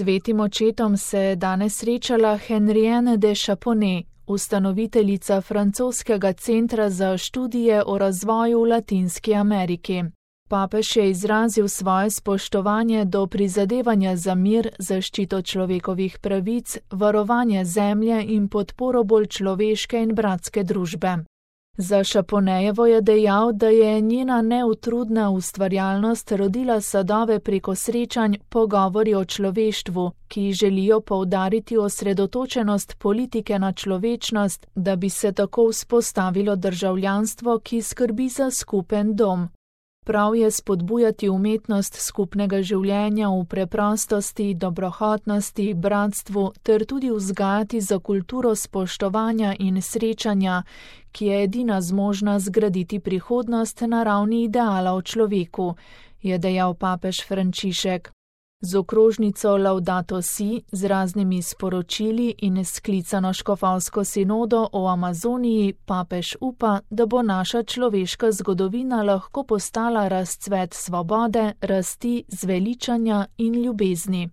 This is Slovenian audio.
Svetim očetom se je danes srečala Henrienne de Chaponnet, ustanoviteljica francoskega centra za študije o razvoju v Latinski Ameriki. Papež je izrazil svoje spoštovanje do prizadevanja za mir, zaščito človekovih pravic, varovanje zemlje in podporo bolj človeške in bratske družbe. Za Chaponnejevo je dejal, da je njena neutrudna ustvarjalnost rodila sadove preko srečanj Pogovori o človeštvu, ki želijo poudariti osredotočenost politike na človečnost, da bi se tako vzpostavilo državljanstvo, ki skrbi za skupen dom. Prav je spodbujati umetnost skupnega življenja v preprostosti, dobrohotnosti, bratstvu ter tudi vzgajati za kulturo spoštovanja in srečanja, ki je edina zmožna zgraditi prihodnost na ravni ideala o človeku, je dejal papež Frančišek. Z okrožnico Laudato Si, z raznimi sporočili in sklicano škofovsko sinodo o Amazoniji papež upa, da bo naša človeška zgodovina lahko postala razcvet svobode, rasti, zveličanja in ljubezni.